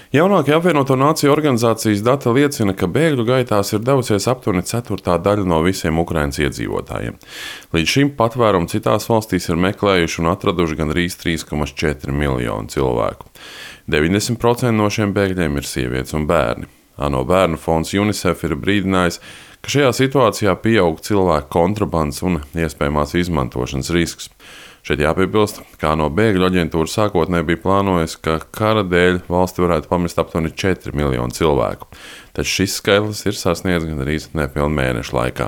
Jaunākie apvienoto nāciju organizācijas dati liecina, ka bēgļu gaitās ir devusies aptuveni ceturtā daļa no visiem Ukrainas iedzīvotājiem. Līdz šim patvērumu citās valstīs ir meklējuši un atraduši gandrīz 3,4 miljonu cilvēku. 90% no šiem bēgļiem ir sievietes un bērni. ANO bērnu fonds UNICEF ir brīdinājis, ka šajā situācijā pieaug cilvēku kontrabandas un iespējamās izmantošanas risks. Šeit jāpiebilst, ka ANO bēgļu aģentūra sākotnēji bija plānojusi, ka kara dēļ valsti varētu pamest aptuveni 4 miljonu cilvēku, taču šis skaitlis ir sasniegts gandrīz nepilnu mēnešu laikā.